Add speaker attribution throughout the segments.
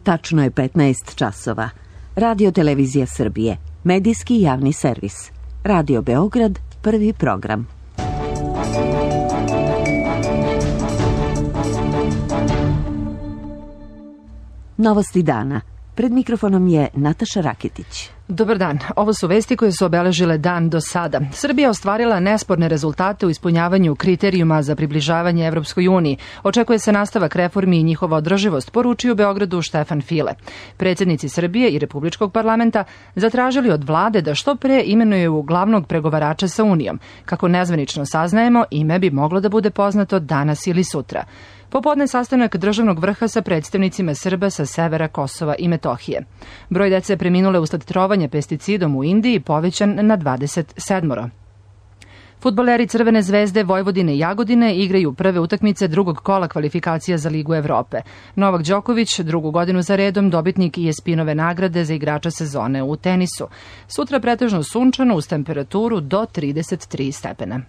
Speaker 1: Tačno je 15 časova. Radio Televizija Srbije, medijski javni servis. Radio Beograd, prvi program. Novosti dana. Pred mikrofonom je Nataša Raketić.
Speaker 2: Dobar dan. Ovo su vesti koje su obeležile dan do sada. Srbija ostvarila nesporne rezultate u ispunjavanju kriterijuma za približavanje Evropskoj uniji. Očekuje se nastavak reformi i njihova održivost, poručio u Beogradu Štefan File. Predsjednici Srbije i Republičkog parlamenta zatražili od vlade da što pre imenuju glavnog pregovarača sa Unijom. Kako nezvanično saznajemo, ime bi moglo da bude poznato danas ili sutra. Popodne sastanak državnog vrha sa predstavnicima Srba sa severa Kosova i Metohije. Broj dece preminule usled trovanja pesticidom u Indiji povećan na 27. Fudbaleri Crvene zvezde Vojvodine i Jagodine igraju prve utakmice drugog kola kvalifikacija za Ligu Evrope. Novak Đoković, drugu godinu za redom, dobitnik ESPN-ove nagrade za igrača sezone u tenisu. Sutra pretežno sunčano uz temperaturu do 33 stepena.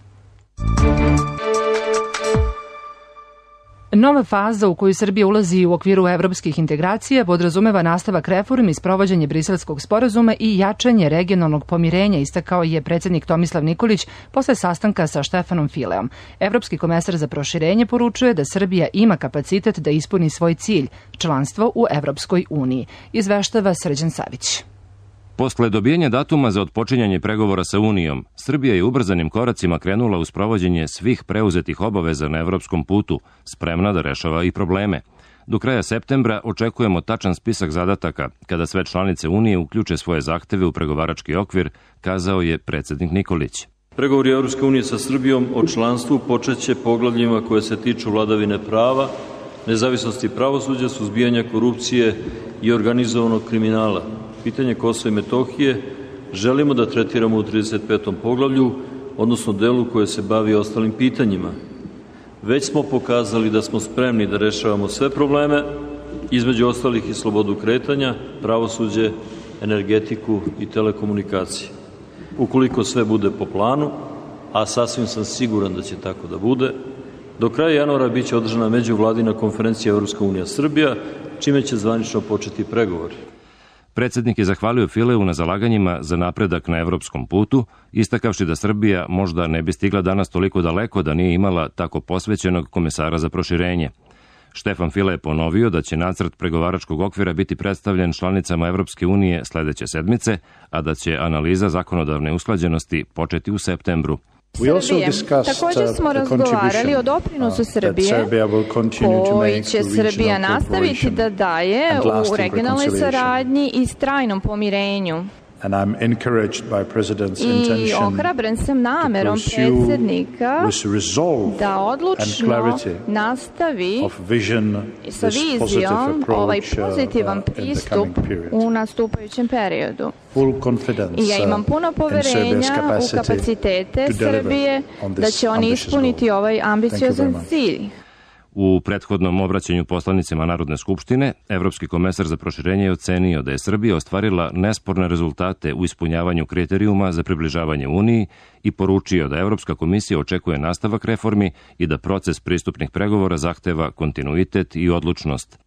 Speaker 2: Nova faza u koju Srbija ulazi u okviru evropskih integracija podrazumeva nastavak reformi, sprovođenje Briselskog sporazuma i jačanje regionalnog pomirenja, istakao je predsjednik Tomislav Nikolić posle sastanka sa Štefanom Fileom. Evropski komesar za proširenje poručuje da Srbija ima kapacitet da ispuni svoj cilj, članstvo u Evropskoj uniji. Izveštava Srđan Savić.
Speaker 3: Posle dobijenja datuma za otpočinjanje pregovora sa Unijom, Srbija je ubrzanim koracima krenula u sprovođenje svih preuzetih obaveza na evropskom putu, spremna da rešava i probleme. Do kraja septembra očekujemo tačan spisak zadataka, kada sve članice Unije uključe svoje zahteve u pregovarački okvir, kazao je predsjednik Nikolić.
Speaker 4: Pregovori Evropske unije sa Srbijom o članstvu počeće poglavljima koje se tiču vladavine prava, nezavisnosti pravosuđa, suzbijanja korupcije i organizovanog kriminala. Pitanje Kosova i Metohije želimo da tretiramo u 35. poglavlju, odnosno delu koje se bavi ostalim pitanjima. Već smo pokazali da smo spremni da rešavamo sve probleme, između ostalih i slobodu kretanja, pravosuđe, energetiku i telekomunikacije. Ukoliko sve bude po planu, a sasvim sam siguran da će tako da bude, do kraja januara biće održana međuvladina konferencija Evropska unija Srbija, čime će zvanično početi pregovori.
Speaker 3: Predsjednik je zahvalio Fileu na zalaganjima za napredak na evropskom putu, istakavši da Srbija možda ne bi stigla danas toliko daleko da nije imala tako posvećenog komesara za proširenje. Štefan File je ponovio da će nacrt pregovaračkog okvira biti predstavljen članicama Evropske unije sledeće sedmice, a da će analiza zakonodavne usklađenosti početi u septembru.
Speaker 5: Također smo razgovarali o doprinosu Srbije koji će Srbija nastaviti da daje u regionalnoj saradnji i trajnom pomirenju. I ohrabren sam namerom predsjednika da odlučno nastavi sa vizijom ovaj pozitivan pristup u nastupajućem periodu. I ja imam puno poverenja u kapacitete Srbije da će oni ispuniti ovaj ambiciozan cilj.
Speaker 3: U prethodnom obraćanju poslanicima Narodne skupštine, Evropski komesar za proširenje je ocenio da je Srbija ostvarila nesporne rezultate u ispunjavanju kriterijuma za približavanje Uniji i poručio da Evropska komisija očekuje nastavak reformi i da proces pristupnih pregovora zahteva kontinuitet i odlučnost.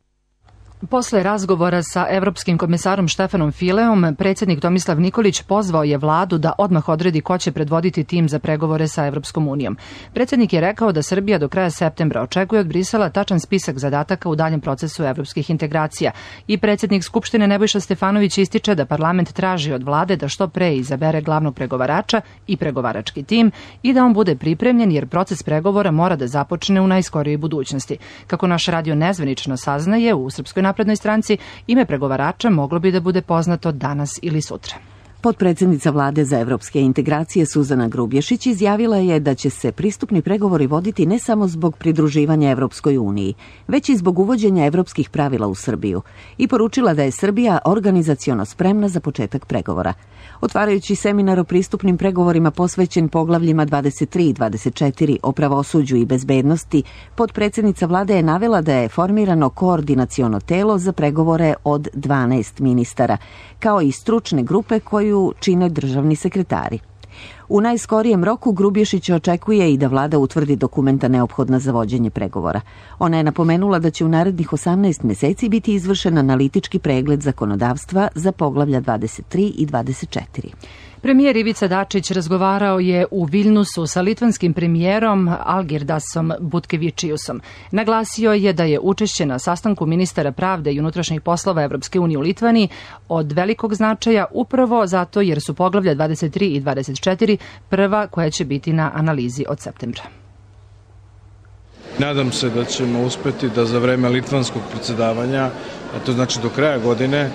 Speaker 2: Posle razgovora sa evropskim komesarom Štefanom Fileom, predsjednik Tomislav Nikolić pozvao je vladu da odmah odredi ko će predvoditi tim za pregovore sa Evropskom unijom. Predsjednik je rekao da Srbija do kraja septembra očekuje od Brisela tačan spisak zadataka u daljem procesu evropskih integracija i predsjednik Skupštine Nebojša Stefanović ističe da parlament traži od vlade da što pre izabere glavnog pregovarača i pregovarački tim i da on bude pripremljen jer proces pregovora mora da započne u najskorijoj budućnosti. Kako naš radio nezvanično saznaje, u Srpskoj naprednoj stranci ime pregovarača moglo bi da bude poznato danas ili sutra.
Speaker 1: Potpredsjednica vlade za evropske integracije Suzana Grubješić izjavila je da će se pristupni pregovori voditi ne samo zbog pridruživanja Evropskoj uniji, već i zbog uvođenja evropskih pravila u Srbiju i poručila da je Srbija organizaciono spremna za početak pregovora. Otvarajući seminar o pristupnim pregovorima posvećen poglavljima 23 i 24 o pravosuđu i bezbednosti, potpredsjednica vlade je navela da je formirano koordinaciono telo za pregovore od 12 ministara, kao i stručne grupe koju čine državni sekretari. U najskorijem roku Grubješić očekuje i da vlada utvrdi dokumenta neophodna za vođenje pregovora. Ona je napomenula da će u narednih 18 meseci biti izvršen analitički pregled zakonodavstva za poglavlja 23 i 24.
Speaker 2: Premijer Ivica Dačić razgovarao je u Viljnusu sa litvanskim premijerom Algirdasom Butkevičiusom. Naglasio je da je učešće na sastanku ministara pravde i unutrašnjih poslova Evropske unije u Litvaniji od velikog značaja upravo zato jer su poglavlja 23 i 24 prva koja će biti na analizi od septembra.
Speaker 6: Nadam se da ćemo uspeti da za vreme litvanskog predsjedavanja, a to znači do kraja godine,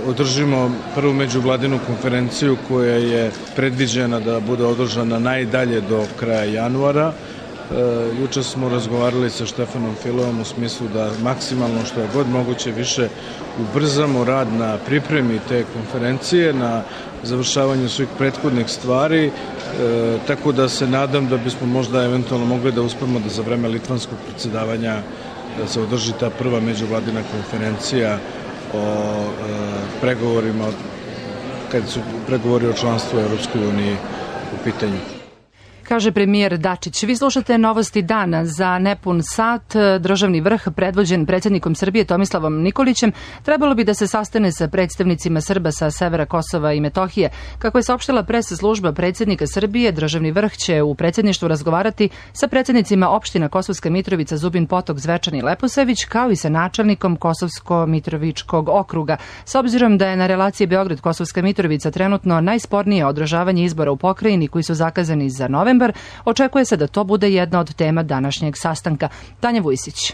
Speaker 6: održimo prvu međuvladinu konferenciju koja je predviđena da bude održana najdalje do kraja januara. Juče smo razgovarali sa Štefanom Fileom u smislu da maksimalno što je god moguće više ubrzamo rad na pripremi te konferencije, na završavanju svih prethodnih stvari, tako da se nadam da bismo možda eventualno mogli da uspemo da za vreme litvanskog predsjedavanja da se održi ta prva međuvladina konferencija o pregovorima, kad su pregovori o članstvu u Evropskoj uniji u pitanju.
Speaker 2: Kaže premijer Dačić. Vi slušate Novosti dana. Za nepun sat državni vrh predvođen predsjednikom Srbije Tomislavom Nikolićem trebalo bi da se sastane sa predstavnicima Srba sa severa Kosova i Metohije. Kako je saopštila pres služba predsjednika Srbije, državni vrh će u predsjedništvu razgovarati sa predsjednicima opština Kosovska Mitrovica, Zubin Potok, Zvečan i Leposavić, kao i sa načelnikom Kosovsko-Mitrovičkog okruga. S obzirom da je na relaciji Beograd-Kosovska Mitrovica trenutno najspornije održavanje izbora u pokrajini koji su zakazani za novembar, očekuje se da to bude jedna od tema današnjeg sastanka. Tanja Vujsić.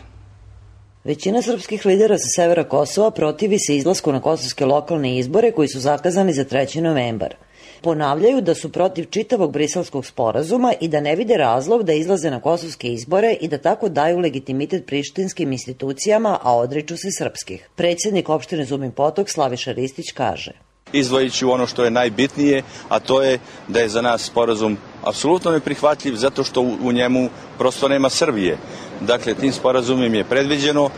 Speaker 7: Većina srpskih lidera sa severa Kosova protivi se izlasku na kosovske lokalne izbore koji su zakazani za 3. novembar. Ponavljaju da su protiv čitavog briselskog sporazuma i da ne vide razlog da izlaze na kosovske izbore i da tako daju legitimitet prištinskim institucijama, a odriču se srpskih. Predsjednik opštine Zubin Potok Slaviša Ristić kaže:
Speaker 8: Izdvojit ću ono što je najbitnije, a to je da je za nas sporazum apsolutno neprihvatljiv zato što u njemu prosto nema Srbije. Dakle, tim sporazumom je predviđeno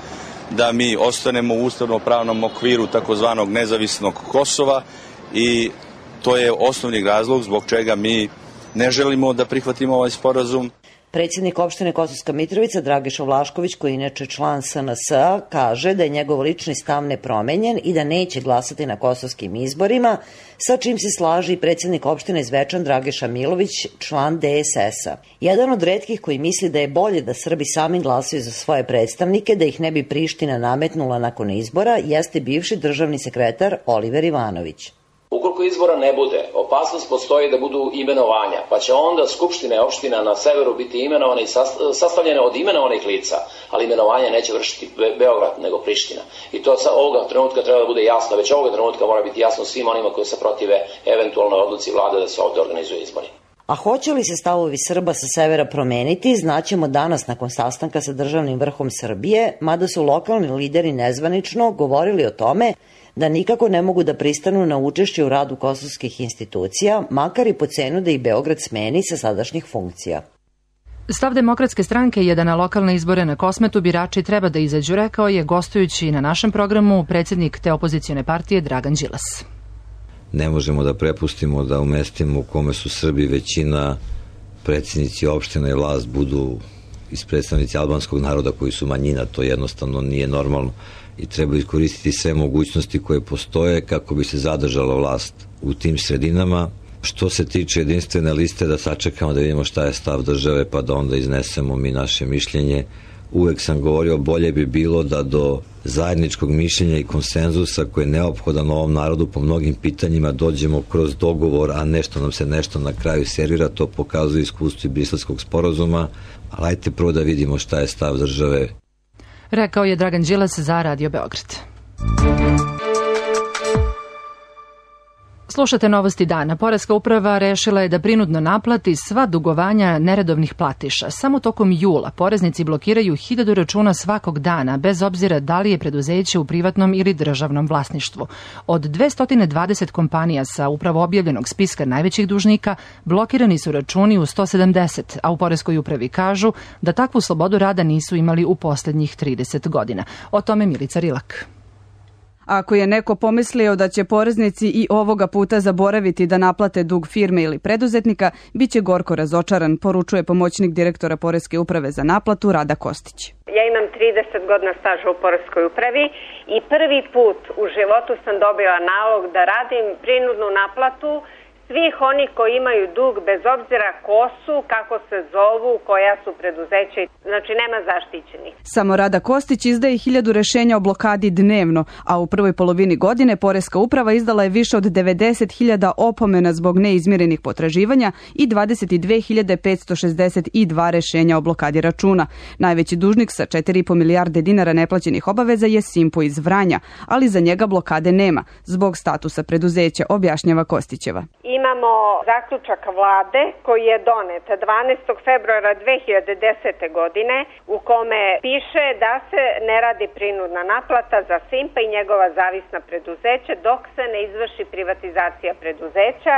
Speaker 8: da mi ostanemo u ustavno-pravnom okviru takozvanog nezavisnog Kosova i to je osnovni razlog zbog čega mi ne želimo da prihvatimo ovaj sporazum.
Speaker 7: Predsjednik opštine Kosovska Mitrovica Dragiša Vlašković, koji je inače član SNS-a, kaže da je njegov lični stav nepromenjen i da neće glasati na kosovskim izborima, sa čim se slaži i predsjednik opštine Zvečan Dragiša Milović, član DSS-a. Jedan od retkih koji misli da je bolje da Srbi sami glasaju za svoje predstavnike, da ih ne bi Priština nametnula nakon izbora, jeste bivši državni sekretar Oliver Ivanović.
Speaker 9: Ukoliko izbora ne bude, opasnost postoji da budu imenovanja, pa će onda skupštine opština na severu biti imenovane i sastavljene od imenovanih lica, ali imenovanje neće vršiti Beograd nego Priština. I to sa ovoga trenutka treba da bude jasno, već ovoga trenutka mora biti jasno svim onima koji se protive eventualnoj odluci vlade da se ovde organizuju izbori.
Speaker 7: A hoće li se stavovi Srba sa severa promeniti, znaćemo danas nakon sastanka sa državnim vrhom Srbije, mada su lokalni lideri nezvanično govorili o tome da nikako ne mogu da pristanu na učešće u radu kosovskih institucija, makar i po cenu da ih Beograd smeni sa sadašnjih funkcija.
Speaker 2: Stav Demokratske stranke je da na lokalne izbore na Kosmetu birači treba da izađu, rekao je gostujući na našem programu predsjednik te opozicione partije Dragan Đilas.
Speaker 10: Ne možemo da prepustimo da u mestima u kome su Srbi većina, predsjednici opština i vlast budu iz predstavnici albanskog naroda koji su manjina. To jednostavno nije normalno i treba iskoristiti sve mogućnosti koje postoje kako bi se zadržala vlast u tim sredinama. Što se tiče jedinstvene liste, da sačekamo da vidimo šta je stav države pa da onda iznesemo mi naše mišljenje. Uvek sam govorio, bolje bi bilo da do zajedničkog mišljenja i konsenzusa koji je neophodan ovom narodu po mnogim pitanjima dođemo kroz dogovor, a nešto nam se nešto na kraju servira. To pokazuje iskustvo i Briselskog sporazuma, ali ajte prvo da vidimo šta je stav države.
Speaker 2: Rekao je Dragan Đilas za Radio Beograd. Slušate Novosti dana. Poreska uprava rešila je da prinudno naplati sva dugovanja neredovnih platiša. Samo tokom jula poreznici blokiraju 1000 računa svakog dana, bez obzira da li je preduzeće u privatnom ili državnom vlasništvu. Od 220 kompanija sa upravo objavljenog spiska najvećih dužnika blokirani su računi u 170, a u poreskoj upravi kažu da takvu slobodu rada nisu imali u poslednjih 30 godina. O tome Milica Rilak.
Speaker 11: Ako je neko pomislio da će poreznici i ovoga puta zaboraviti da naplate dug firme ili preduzetnika, bit će gorko razočaran, poručuje pomoćnik direktora Poreske uprave za naplatu Rada Kostić.
Speaker 12: Ja imam 30 godina staža u Poreskoj upravi i prvi put u životu sam dobila nalog da radim prinudnu naplatu svih onih koji imaju dug bez obzira ko su, kako se zovu, koja su preduzeća, znači nema zaštićenih.
Speaker 11: Samo Rada Kostić izdaje 1000 rešenja o blokadi dnevno, a u prvoj polovini godine Poreska uprava izdala je više od 90.000 opomena zbog neizmirenih potraživanja i 22.562 rešenja o blokadi računa. Najveći dužnik sa 4,5 milijarde dinara neplaćenih obaveza je Simpo iz Vranja, ali za njega blokade nema, zbog statusa preduzeća, objašnjava Kostićeva.
Speaker 12: Imamo zaključak vlade koji je donet 12. februara 2010. godine u kome piše da se ne radi prinudna naplata za Simpa i njegova zavisna preduzeća dok se ne izvrši privatizacija preduzeća,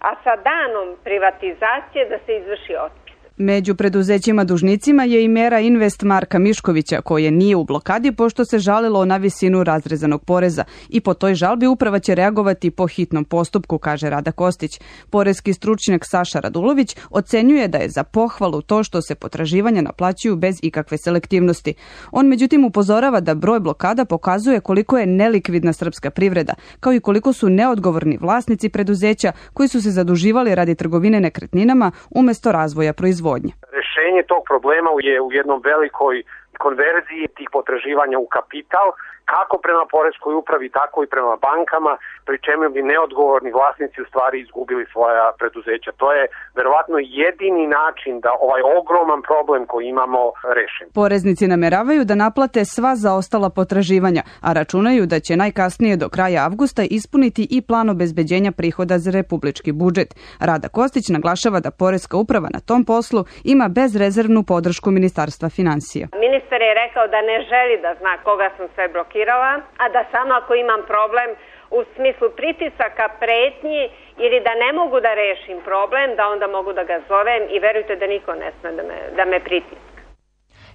Speaker 12: a sa danom privatizacije da se izvrši otpis.
Speaker 11: Među preduzećima dužnicima je i mera Invest Marka Miškovića, koje nije u blokadi pošto se žalilo na visinu razrezanog poreza i po toj žalbi uprava će reagovati po hitnom postupku, kaže Rada Kostić. Poreski stručnjak Saša Radulović ocenjuje da je za pohvalu to što se potraživanja naplaćuju bez ikakve selektivnosti. On međutim upozorava da broj blokada pokazuje koliko je nelikvidna srpska privreda, kao i koliko su neodgovorni vlasnici preduzeća koji su se zaduživali radi trgovine nekretninama umjesto razvoja proizvodnje.
Speaker 13: Rešenje tog problema je u jednom velikoj konverziji tih potraživanja u kapital, kako prema Poreskoj upravi, tako i prema bankama, pri čemu bi neodgovorni vlasnici u stvari izgubili svoja preduzeća. To je verovatno jedini način da ovaj ogroman problem koji imamo rešen.
Speaker 11: Poreznici nameravaju da naplate sva zaostala potraživanja, a računaju da će najkasnije do kraja avgusta ispuniti i plan obezbeđenja prihoda za republički budžet. Rada Kostić naglašava da Poreska uprava na tom poslu ima bezrezervnu podršku Ministarstva finansija.
Speaker 12: Ministar je rekao da ne želi da zna koga sam sve blokirala, a da samo ako imam problem u smislu pritisaka, pretnji ili da ne mogu da rešim problem, da onda mogu da ga zovem i verujte da niko ne sme da me pritiska.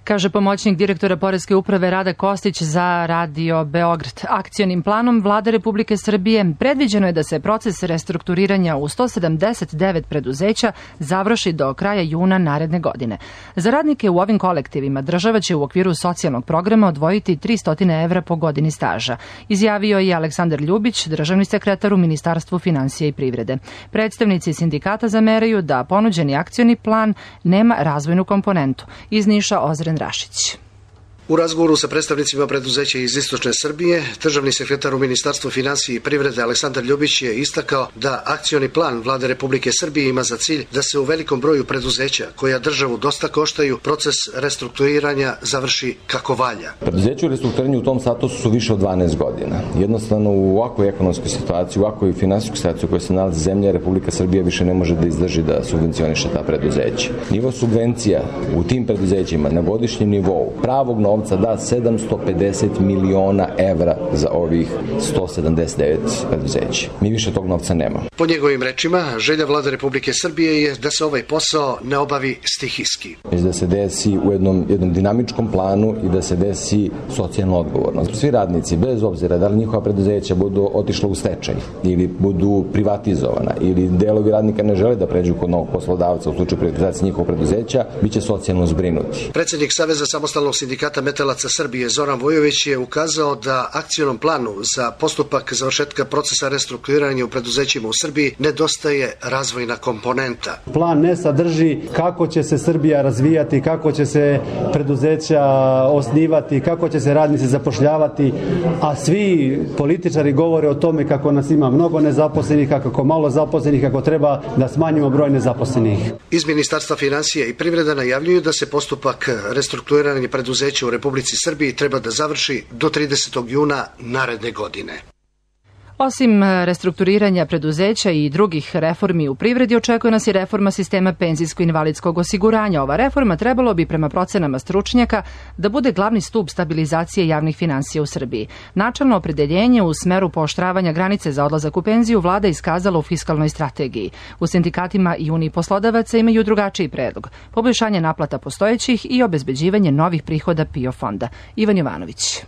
Speaker 2: Kaže pomoćnik direktora Poreske uprave Rada Kostić za Radio Beograd. Akcionim planom Vlade Republike Srbije predviđeno je da se proces restrukturiranja u 179 preduzeća završi do kraja juna naredne godine. Za radnike u ovim kolektivima država će u okviru socijalnog programa odvojiti 300 evra po godini staža, izjavio je Aleksandar Ljubić, državni sekretar u Ministarstvu finansija i privrede. Predstavnici sindikata zameraju da ponuđeni akcioni plan nema razvojnu komponentu. Iz Niša Ozren Rašić.
Speaker 14: U razgovoru sa predstavnicima preduzeća iz Istočne Srbije, državni sekretar u Ministarstvu finansija i privrede Aleksandar Ljubić je istakao da akcioni plan Vlade Republike Srbije ima za cilj da se u velikom broju preduzeća, koja državu dosta koštaju, proces restrukturiranja završi kako valja.
Speaker 15: Preduzeće u restrukturiranju u tom statusu su više od 12 godina. Jednostavno u ovakvoj ekonomskoj situaciji, u ovakvoj finansijskoj situaciji u kojoj se nalazi zemlja, Republika Srbija više ne može da izdrži da subvencioniše ta preduzeća. Nivo subvencija u tim preduzećima na godišnjem nivou pravog novca da 750 miliona evra za ovih 179 preduzeća. Mi više tog novca nemamo.
Speaker 14: Po njegovim rečima, želja Vlade Republike Srbije je da se ovaj posao ne obavi stihijski.
Speaker 15: Da se desi u jednom dinamičkom planu i da se desi socijalno odgovorno. Svi radnici, bez obzira da li njihova preduzeća budu otišla u stečaj ili budu privatizovana ili delovi radnika ne žele da pređu kod novog poslodavca u slučaju privatizacije njihovog preduzeća, biće socijalno zbrinuti.
Speaker 14: Predsjednik Saveza samostalnog sindikata metalaca Srbije Zoran Vujović je ukazao da akcionom planu za postupak završetka procesa restrukturiranja u preduzećima u Srbiji nedostaje razvojna komponenta.
Speaker 16: Plan ne sadrži kako će se Srbija razvijati, kako će se preduzeća osnivati, kako će se radnici zapošljavati, a svi političari govore o tome kako nas ima mnogo nezaposlenih, kako malo zaposlenih, kako treba da smanjimo broj nezaposlenih.
Speaker 14: Iz Ministarstva finansija i privrede najavljuju da se postupak restrukturiranja preduzeća u Republici Srbiji treba da završi do 30. juna naredne godine.
Speaker 2: Osim restrukturiranja preduzeća i drugih reformi u privredi, očekuje nas i reforma sistema penzijsko-invalidskog osiguranja. Ova reforma trebalo bi prema procenama stručnjaka da bude glavni stub stabilizacije javnih finansija u Srbiji. Načelno opredeljenje u smeru pooštravanja granice za odlazak u penziju vlada iskazala u fiskalnoj strategiji. U sindikatima i Uniji poslodavaca imaju drugačiji predlog. Poboljšanje naplata postojećih i obezbeđivanje novih prihoda PIO fonda. Ivan Jovanović.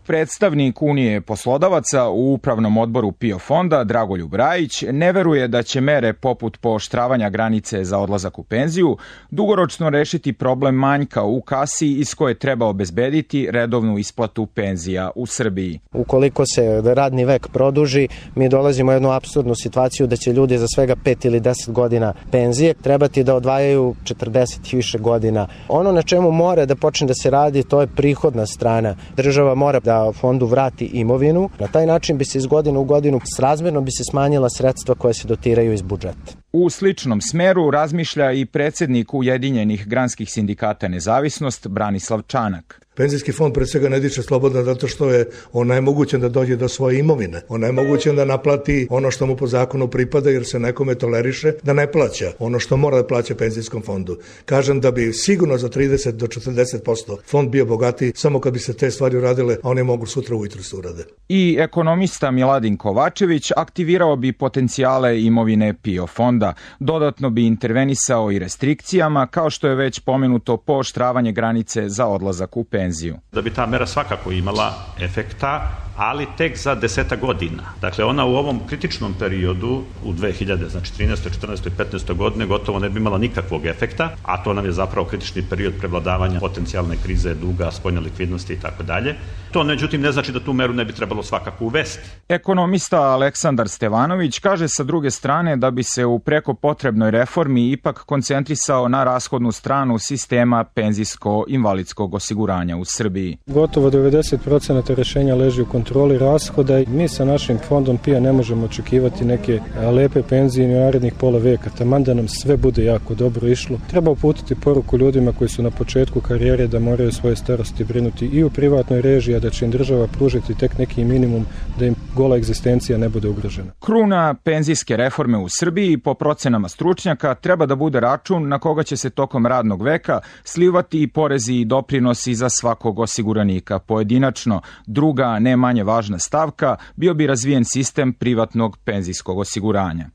Speaker 17: Predstavnik Unije poslodavaca u Upravnom odboru PIO fonda Dragoljub Rajić ne veruje da će mere poput pooštravanja granice za odlazak u penziju dugoročno rešiti problem manjka u kasi iz koje treba obezbediti redovnu isplatu penzija u Srbiji.
Speaker 18: Ukoliko se radni vek produži, mi dolazimo u jednu apsurdnu situaciju da će ljudi za svega 5 ili 10 godina penzije trebati da odvajaju 40 i više godina. Ono na čemu mora da počne da se radi, to je prihodna strana. Država mora da fondu vrati imovinu. Na taj način bi se iz godine u godinu srazmerno bi se smanjila sredstva koja se dotiraju iz budžeta.
Speaker 17: U sličnom smeru razmišlja i predsednik Ujedinjenih granskih sindikata Nezavisnost Branislav Čanak.
Speaker 19: Penzijski fond pred svega ne diče slobodno zato što je onemogućen da dođe do svoje imovine. Onemogućen da naplati ono što mu po zakonu pripada jer se nekome toleriše da ne plaća ono što mora da plaća penzijskom fondu. Kažem da bi sigurno za 30 do 40% fond bio bogatiji samo kad bi se te stvari uradile, a one mogu sutra ujutru se urade.
Speaker 17: I ekonomista Miladin Kovačević aktivirao bi potencijale imovine PIO fonda. Dodatno bi intervenisao i restrikcijama, kao što je već pomenuto pooštravanje granice za odlazak u penziju.
Speaker 20: Da bi ta mera svakako imala efekta, ali tek za 10 godina. Dakle, ona u ovom kritičnom periodu, u 2000, znači 13. 14. i 15. godine, gotovo ne bi imala nikakvog efekta, a to nam je zapravo kritični period prevladavanja potencijalne krize, duga, spoljne likvidnosti i tako dalje. To, međutim, ne znači da tu meru ne bi trebalo svakako uvesti.
Speaker 17: Ekonomista Aleksandar Stevanović kaže sa druge strane da bi se u preko potrebnoj reformi ipak koncentrisao na rashodnu stranu sistema penzijsko-invalidskog osiguranja u Srbiji.
Speaker 21: Gotovo 90% rešenja leži u kontroli rashoda i mi sa našim fondom PIO ne možemo očekivati neke lepe penzije ni u narednih pola veka. Taman da nam sve bude jako dobro išlo. Treba uputiti poruku ljudima koji su na početku karijere da moraju svoje starosti brinuti i u privatnoj režiji, a da će im država pružiti tek neki minimum da im gola egzistencija ne bude ugrožena.
Speaker 17: Kruna penzijske reforme u Srbiji, po procenama stručnjaka, treba da bude račun na koga će se tokom radnog veka slivati i porezi i doprinosi za svakog osiguranika pojedinačno. Druga, ne manje važna stavka, bio bi razvijen sistem privatnog penzijskog osiguranja.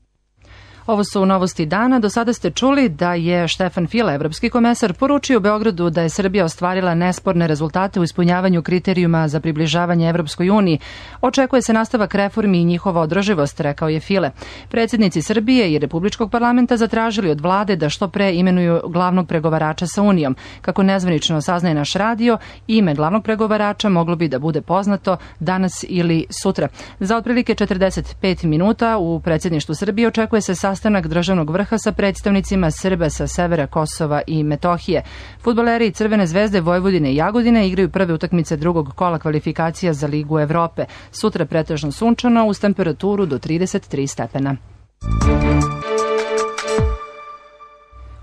Speaker 2: Ovo su novosti dana. Do sada ste čuli da je Štefan File, evropski komesar, poručio Beogradu da je Srbija ostvarila nesporne rezultate u ispunjavanju kriterijuma za približavanje Evropskoj uniji. Očekuje se nastavak reformi i njihova održivost, rekao je File. Predsjednici Srbije i Republičkog parlamenta zatražili od vlade da što pre imenuju glavnog pregovarača sa Unijom. Kako nezvanično saznaje naš radio, ime glavnog pregovarača moglo bi da bude poznato danas ili sutra. Za otprilike 45 minuta u predsjedništvu Srbije očekuje se sastanak državnog vrha sa predstavnicima Srba sa severa Kosova i Metohije. Fudbaleri Crvene zvezde Vojvodine i Jagodine igraju prve utakmice drugog kola kvalifikacija za Ligu Evrope. Sutra pretežno sunčano uz temperaturu do 33 stepena.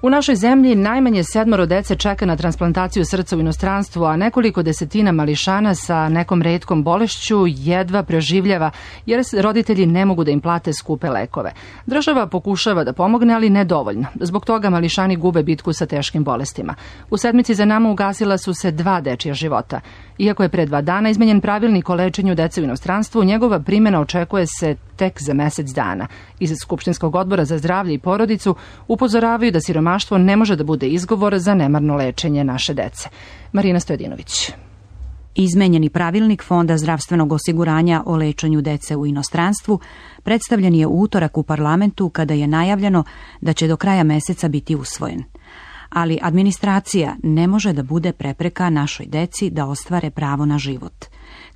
Speaker 2: U našoj zemlji najmanje 7 dece čeka na transplantaciju srca u inostranstvu, a nekoliko desetina mališana sa nekom retkom bolešću jedva preživljava jer roditelji ne mogu da im plate skupe lekove. Država pokušava da pomogne, ali nedovoljno. Zbog toga mališani gube bitku sa teškim bolestima. U sedmici za nama ugasila su se 2 dečija života. Iako je pre 2 dana izmenjen pravilnik o lečenju dece u inostranstvu, njegova primjena očekuje se tek za mesec dana. Iz Skupštinskog odbora za zdravlje i porodicu upozoravaju da siromaštvo ne može da bude izgovor za nemarno lečenje naše dece. Marina Stojadinović.
Speaker 22: Izmenjeni pravilnik Fonda zdravstvenog osiguranja o lečenju dece u inostranstvu predstavljen je u utorak u parlamentu kada je najavljeno da će do kraja meseca biti usvojen. Ali administracija ne može da bude prepreka našoj deci da ostvare pravo na život,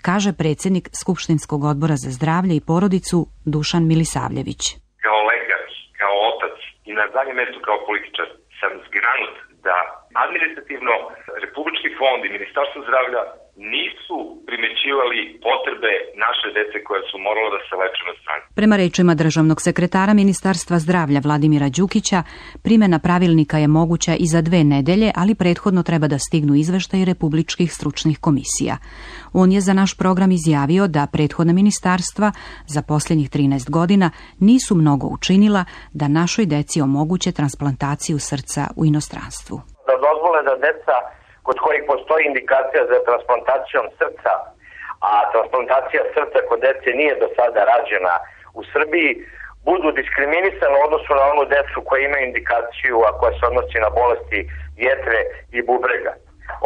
Speaker 22: kaže predsjednik Skupštinskog odbora za zdravlje i porodicu Dušan Milisavljević.
Speaker 23: Kao lekar, kao otac i na zadnjem mjestu kao političar sam zgranut da administrativno Republički fond i Ministarstvo zdravlja nisu primećivali potrebe naše dece koje su morale da se leče na strani.
Speaker 22: Prema rečima državnog sekretara Ministarstva zdravlja Vladimira Đukića, primjena pravilnika je moguća i za 2 nedelje, ali prethodno treba da stignu izveštaji republičkih stručnih komisija. On je za naš program izjavio da prethodna ministarstva za posljednjih 13 godina nisu mnogo učinila da našoj deci omoguće transplantaciju srca u inostranstvu.
Speaker 13: Da dozvole da deca kod kojih postoji indikacija za transplantacijom srca, a transplantacija srca kod dece nije do sada rađena u Srbiji, budu diskriminisane u odnosu na onu decu koja imaju indikaciju, a koja se odnosi na bolesti jetre i bubrega.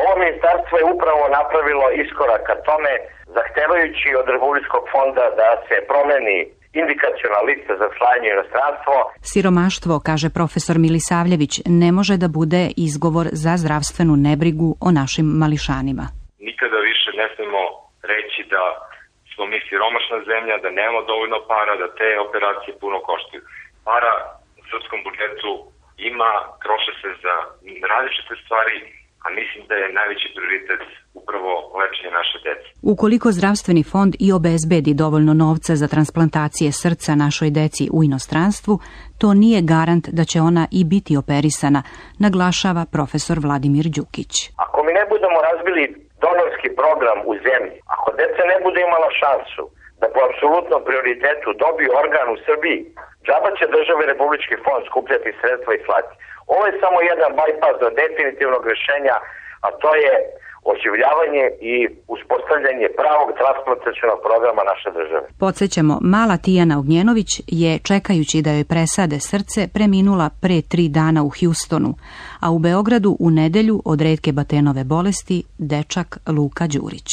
Speaker 3: Ovo ministarstvo je upravo napravilo iskorak ka tome, zahtevajući od Republičkog fonda da se promeni indikaciona lista za slanje u inostranstvo.
Speaker 22: Siromaštvo, kaže profesor Milisavljević, ne može da bude izgovor za zdravstvenu nebrigu o našim mališanima.
Speaker 23: Nikada više ne smemo reći da smo mi siromašna zemlja, da nemamo dovoljno para, da te operacije puno koštaju. Para u srpskom budžetu ima, troše se za različite stvari, a mislim da je najveći prioritet upravo lečenje naše dece.
Speaker 22: Ukoliko zdravstveni fond i obezbedi dovoljno novca za transplantacije srca našoj deci u inostranstvu, to nije garant da će ona i biti operisana, naglašava profesor Vladimir Đukić.
Speaker 3: Ako mi ne budemo razbili donorski program u zemlji, ako deca ne bude imala šansu da po apsolutnom prioritetu dobiju organ u Srbiji, džaba će države Republički fond skupljati sredstva i slati. Ovo je samo jedan bajpas do definitivnog rešenja, a to je oživljavanje i uspostavljanje pravog transplantacionog programa naše države.
Speaker 22: Podsećamo, mala Tijana Ognjenović je, čekajući da joj presade srce, preminula pre 3 dana u Hjustonu, a u Beogradu u nedelju od retke Batenove bolesti dečak Luka Đurić.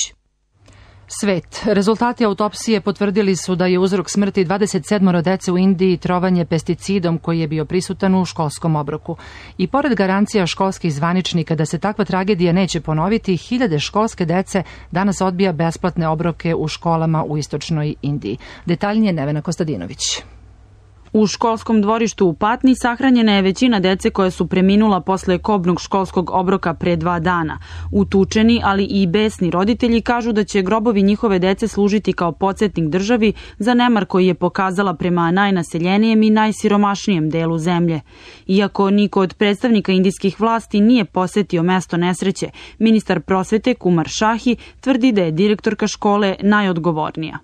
Speaker 2: Svet. Rezultati autopsije potvrdili su da je uzrok smrti 27 dece u Indiji trovanje pesticidom koji je bio prisutan u školskom obroku. I pored garancija školskih zvaničnika da se takva tragedija neće ponoviti, hiljade školske dece danas odbija besplatne obroke u školama u istočnoj Indiji. Detaljnije Nevena Kostadinović.
Speaker 4: U školskom dvorištu u Patni sahranjena je većina dece koja su preminula posle kobnog školskog obroka pre 2 dana. Utučeni, ali i besni roditelji kažu da će grobovi njihove dece služiti kao podsjetnik državi za nemar koji je pokazala prema najnaseljenijem i najsiromašnijem delu zemlje. Iako niko od predstavnika indijskih vlasti nije posetio mesto nesreće, ministar prosvete Kumar Šahi tvrdi da je direktorka škole najodgovornija.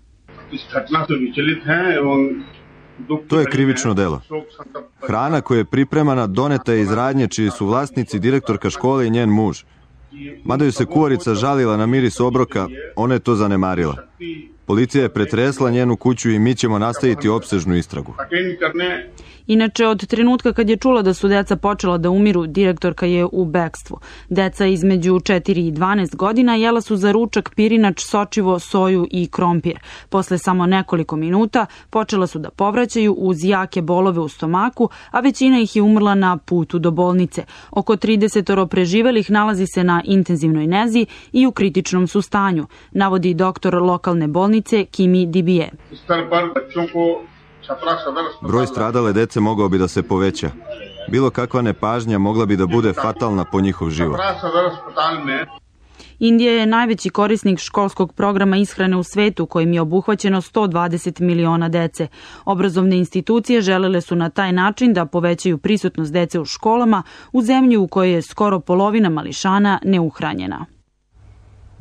Speaker 5: To je krivično delo. Hrana koja je pripremana doneta je iz radnje čiji su vlasnici direktorka škole i njen muž. Mada ju se kuvarica žalila na miris obroka, ona je to zanemarila. Policija je pretresla njenu kuću i mi ćemo nastaviti opsežnu istragu.
Speaker 4: Inače, od trenutka kad je čula da su deca počela da umiru, direktorka je u bekstvu. Deca između 4 i 12 godina jela su za ručak pirinač, sočivo, soju i krompir. Posle samo nekoliko minuta počela su da povraćaju uz jake bolove u stomaku, a većina ih je umrla na putu do bolnice. Oko 30 preživelih nalazi se na intenzivnoj nezi i u kritičnom su stanju, navodi doktor lokalne bolnice Kimi Dibije.
Speaker 5: Broj stradale dece mogao bi da se poveća. Bilo kakva nepažnja mogla bi da bude fatalna po njihov život.
Speaker 4: Indija je najveći korisnik školskog programa ishrane u svetu, kojim je obuhvaćeno 120 miliona dece. Obrazovne institucije želele su na taj način da povećaju prisutnost dece u školama u zemlji u kojoj je skoro polovina mališana neuhranjena.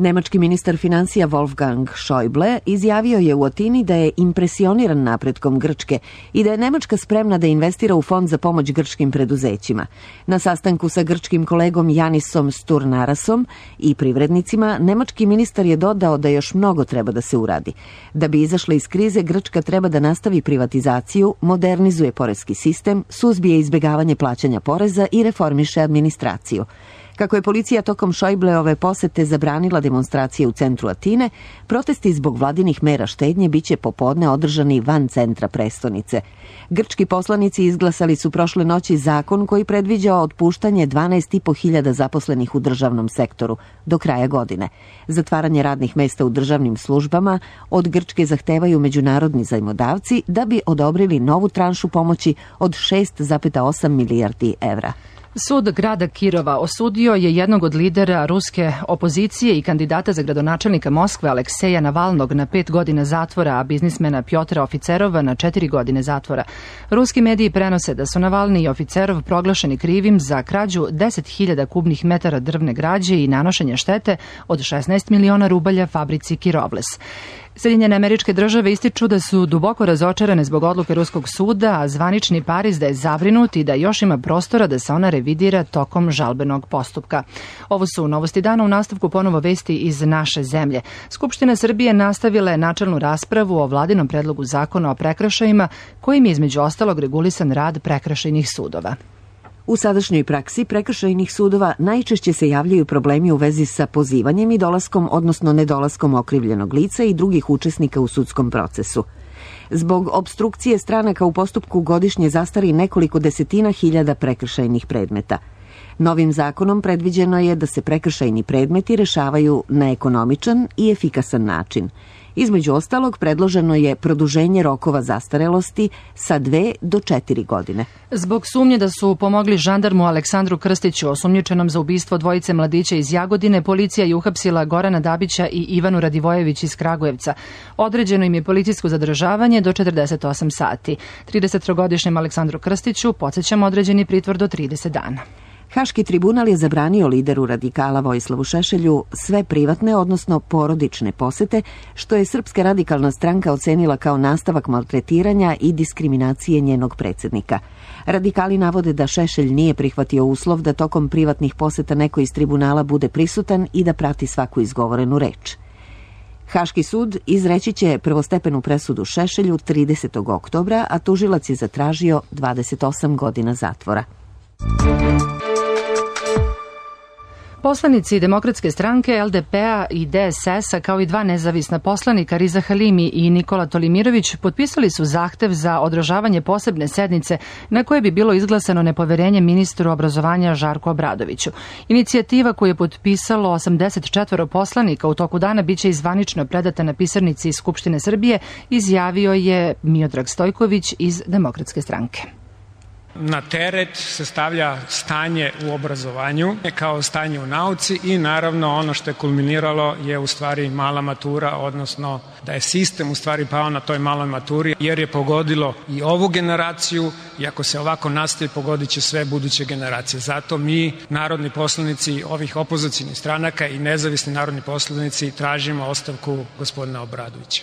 Speaker 1: Nemački ministar financija Wolfgang Schäuble izjavio je u Atini da je impresioniran napretkom Grčke i da je Nemačka spremna da investira u fond za pomoć grčkim preduzećima. Na sastanku sa grčkim kolegom Janisom Sturnarasom i privrednicima, nemački ministar je dodao da još mnogo treba da se uradi. Da bi izašla iz krize, Grčka treba da nastavi privatizaciju, modernizuje poreski sistem, suzbije izbjegavanje plaćanja poreza i reformiše administraciju. Kako je policija tokom Schäubleove posete zabranila demonstracije u centru Atine, protesti zbog vladinih mera štednje biće popodne održani van centra prestonice. Grčki poslanici izglasali su prošle noći zakon koji predviđa otpuštanje 12.500 zaposlenih u državnom sektoru do kraja godine. Zatvaranje radnih mesta u državnim službama od Grčke zahtevaju međunarodni zajmodavci da bi odobrili novu tranšu pomoći od 6,8 milijardi evra.
Speaker 2: Sud grada Kirova osudio je jednog od lidera ruske opozicije i kandidata za gradonačelnika Moskve Alekseja Navalnog na 5 godina zatvora, a biznismena Pjotra Oficerova na 4 godine zatvora. Ruski mediji prenose da su Navalni i Oficerov proglašeni krivim za krađu 10.000 kubnih metara drvne građe i nanošenje štete od 16 miliona rubalja fabrici Kirovles. Sjedinjene Američke Države ističu da su duboko razočarane zbog odluke ruskog suda, a zvanični Pariz da je zabrinut i da još ima prostora da se ona revidira tokom žalbenog postupka. Ovo su novosti dana, u nastavku ponovo vesti iz naše zemlje. Skupština Srbije nastavila je načelnu raspravu o vladinom predlogu zakona o prekršajima, kojim je između ostalog regulisan rad prekršajnih sudova.
Speaker 1: U sadašnjoj praksi prekršajnih sudova najčešće se javljaju problemi u vezi sa pozivanjem i dolaskom, odnosno nedolaskom okrivljenog lica i drugih učesnika u sudskom procesu. Zbog opstrukcije stranaka u postupku godišnje zastari nekoliko desetina hiljada prekršajnih predmeta. Novim zakonom predviđeno je da se prekršajni predmeti rešavaju na ekonomičan i efikasan način. Između ostalog, predloženo je produženje rokova zastarelosti sa 2 do 4 godine.
Speaker 2: Zbog sumnje da su pomogli žandarmu Aleksandru Krstiću, osumnjičenom za ubistvo dvojice mladića iz Jagodine, policija je uhapsila Gorana Dabića i Ivanu Radivojević iz Kragujevca. Određeno im je policijsko zadržavanje do 48 sati. 33-godišnjem Aleksandru Krstiću podsećamo određeni pritvor do 30 dana.
Speaker 1: Haški tribunal je zabranio lideru radikala Vojislavu Šešelju sve privatne, odnosno porodične posete, što je Srpska radikalna stranka ocenila kao nastavak maltretiranja i diskriminacije njenog predsjednika. Radikali navode da Šešelj nije prihvatio uslov da tokom privatnih poseta neko iz tribunala bude prisutan i da prati svaku izgovorenu reč. Haški sud izreći će prvostepenu presudu Šešelju 30. oktobra, a tužilac je zatražio 28 godina zatvora.
Speaker 2: Poslanici Demokratske stranke, LDP-a i DSS-a, kao i 2 nezavisna poslanika, Riza Halimi i Nikola Tolimirović, potpisali su zahtev za održavanje posebne sednice na koje bi bilo izglasano nepoverenje ministru obrazovanja Žarku Obradoviću. Inicijativa koju je potpisalo 84 poslanika u toku dana biće zvanično predata na pisarnici Skupštine Srbije, izjavio je Miodrag Stojković iz Demokratske stranke.
Speaker 6: Na teret se stavlja stanje u obrazovanju kao stanje u nauci i naravno ono što je kulminiralo je u stvari mala matura, odnosno da je sistem u stvari pao na toj maloj maturi jer je pogodilo i ovu generaciju i ako se ovako nastavi pogodit će sve buduće generacije. Zato mi, narodni poslanici ovih opozicionih stranaka i nezavisni narodni poslanici, tražimo ostavku gospodina Obradovića.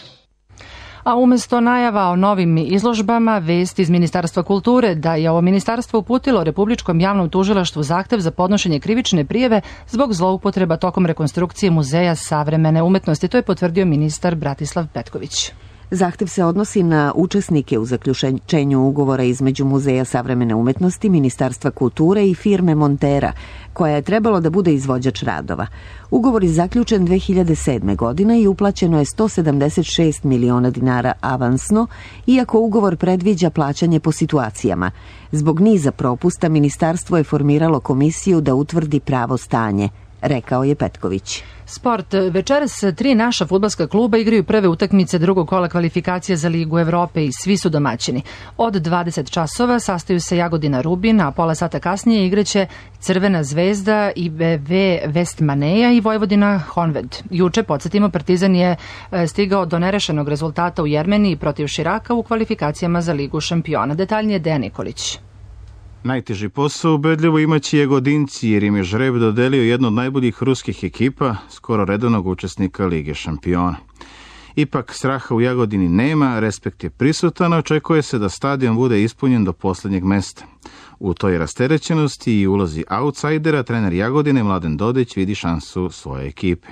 Speaker 2: A umesto najava o novim izložbama, vest iz Ministarstva kulture da je ovo ministarstvo uputilo Republičkom javnom tužilaštvu zahtev za podnošenje krivične prijave zbog zloupotreba tokom rekonstrukcije Muzeja savremene umetnosti. To je potvrdio ministar Bratislav Petković.
Speaker 1: Zahtev se odnosi na učesnike u zaključenju ugovora između Muzeja savremene umetnosti, Ministarstva kulture i firme Montera, koja je trebalo da bude izvođač radova. Ugovor je zaključen 2007. godine i uplaćeno je 176 miliona dinara avansno, iako ugovor predviđa plaćanje po situacijama. Zbog niza propusta, ministarstvo je formiralo komisiju da utvrdi pravo stanje, rekao je Petković.
Speaker 2: Sport. Večeras 3 naša fudbalska kluba igraju prve utakmice drugog kola kvalifikacija za Ligu Evrope i svi su domaćini. Od 20 časova sastaju se Jagodina Rubin, a pola sata kasnije igraće Crvena zvezda, IBV Vestmaneja i Vojvodina Honved. Juče, podsjetimo, Partizan je stigao do nerešenog rezultata u Jermeniji protiv Širaka u kvalifikacijama za Ligu šampiona. Detaljnije Dejan Nikolić.
Speaker 8: Najteži posao ubedljivo imaće Jagodinci, jer im je žreb dodelio jednu od najboljih ruskih ekipa, skoro redovnog učesnika Lige šampiona. Ipak straha u Jagodini nema, respekt je prisutan, očekuje se da stadion bude ispunjen do poslednjeg mesta. U toj rasterećenosti i ulozi outsidera trener Jagodine Mladen Dodić vidi šansu svoje ekipe.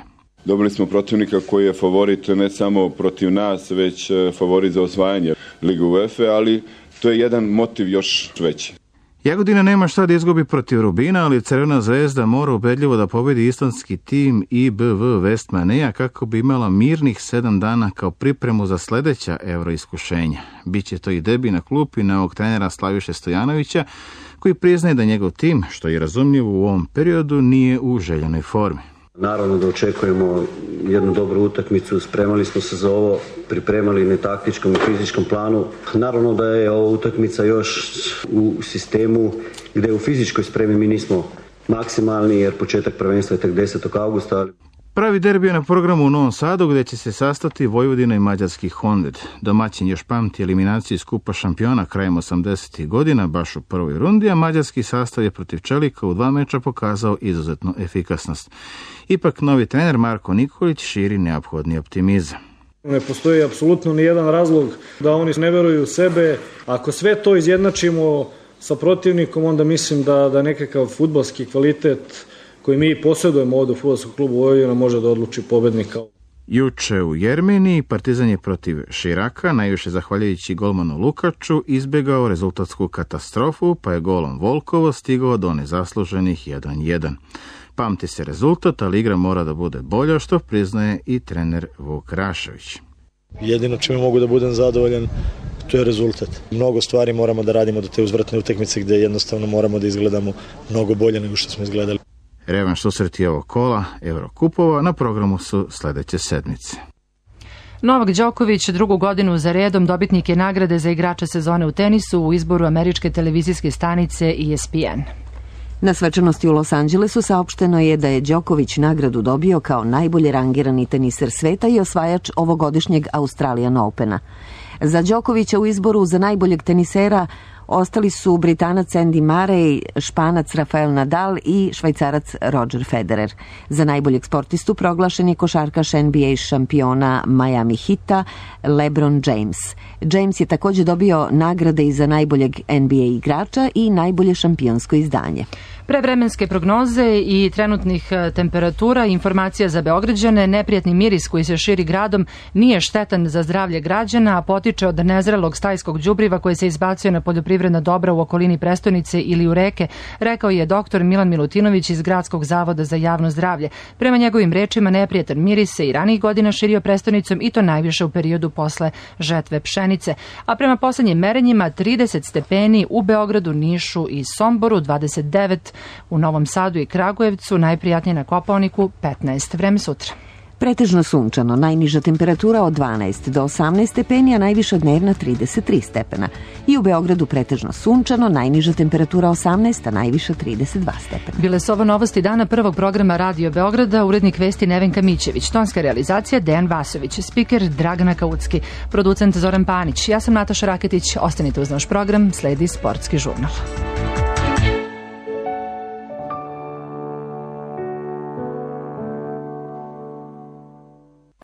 Speaker 9: Dobili smo protivnika koji je favorit ne samo protiv nas, već favorit za osvajanje Lige UEFA, ali to je jedan motiv još veći.
Speaker 8: Jagodina nema šta da izgubi protiv Rubina, ali Crvena zvezda mora ubedljivo da pobedi islandski tim IBV Vestmaneja kako bi imala mirnih 7 dana kao pripremu za sledeća evroiskušenja. Biće to i debi na klupi novog trenera Slaviše Stojanovića, koji priznaje da njegov tim, što je razumljivo u ovom periodu, nije u željenoj formi.
Speaker 24: Naravno da očekujemo jednu dobru utakmicu, spremali smo se za ovo, pripremali na taktičkom i fizičkom planu. Naravno da je ova utakmica još u sistemu gde u fizičkoj spremi mi nismo maksimalni, jer početak prvenstva je tek 10. augusta.
Speaker 8: Pravi derbi je na programu u Novom Sadu, gde će se sastati Vojvodina i mađarski Honved. Domaćin još pamti eliminaciju iz Kupa šampiona krajem 80. godina, baš u prvoj rundi, a mađarski sastav je protiv Čelika u 2 meča pokazao izuzetnu efikasnost. Ipak novi trener Marko Nikolić širi neophodni optimizam.
Speaker 25: Ne postoji apsolutno nijedan razlog da oni ne veruju u sebe. Ako sve to izjednačimo sa protivnikom, onda mislim da nekakav fudbalski kvalitet koji mi posjedujemo ovdje u fudbalskom klubu Vojvodina može da odluči pobednika.
Speaker 8: Juče u Jermeniji Partizan je protiv Širaka, najviše zahvaljujući golmanu Lukaču, izbjegao rezultatsku katastrofu, pa je golom Volkovo stigao do nezasluženih 1-1. Pamti se rezultat, ali igra mora da bude bolja, što priznaje i trener Vuk Rašević.
Speaker 7: Jedino čime mogu da budem zadovoljan, to je rezultat. Mnogo stvari moramo da radimo do te uzvratne utakmice gde jednostavno moramo da izgledamo mnogo bolje nego što smo izgledali.
Speaker 8: Revanš susreti ovog kola Eurokupova na programu su sledeće sedmice.
Speaker 2: Novak Đoković drugu godinu za redom dobitnik je nagrade za igrača sezone u tenisu u izboru američke televizijske stanice ESPN.
Speaker 1: Na svečanosti u Los Angelesu saopšteno je da je Đoković nagradu dobio kao najbolje rangirani teniser sveta i osvajač ovogodišnjeg Australian Opena. Za Đokovića u izboru za najboljeg tenisera ostali su Britanac Andy Murray, Španac Rafael Nadal i Švajcarac Roger Federer. Za najboljeg sportistu proglašen je košarkaš NBA šampiona Miami Heata LeBron James. James je također dobio nagrade i za najboljeg NBA igrača i najbolje šampionsko izdanje.
Speaker 2: Prevremenske prognoze i trenutnih temperatura, informacija za Beograđane, neprijatni miris koji se širi gradom nije štetan za zdravlje građana, a potiče od nezrelog stajskog đubriva koje se izbacuje na poljoprivredna dobra u okolini prestonice ili u reke, rekao je doktor Milan Milutinović iz Gradskog zavoda za javno zdravlje. Prema njegovim rečima, neprijatan miris se i ranijih godina širio prestonicom i to najviše u periodu posle žetve pšenice. A prema poslednjim merenjima 30 stepeni u Beogradu, Nišu i Somboru, 29 u Novom Sadu i Kragujevcu, najprijatnije na Kopaoniku 15. Vreme sutra.
Speaker 1: Pretežno sunčano, najniža temperatura od 12 do 18 stepeni, a najviša dnevna 33 stepena. I u Beogradu pretežno sunčano, najniža temperatura 18, a najviša 32 stepena.
Speaker 2: Bile su ovo novosti dana prvog programa Radio Beograda, urednik vesti Nevenka Mićević, tonska realizacija Dejan Vasović, spiker Dragana Kaucki, producent Zoran Panić. Ja sam Nataša Raketić, ostanite uz naš program, sledi Sportski žurnal.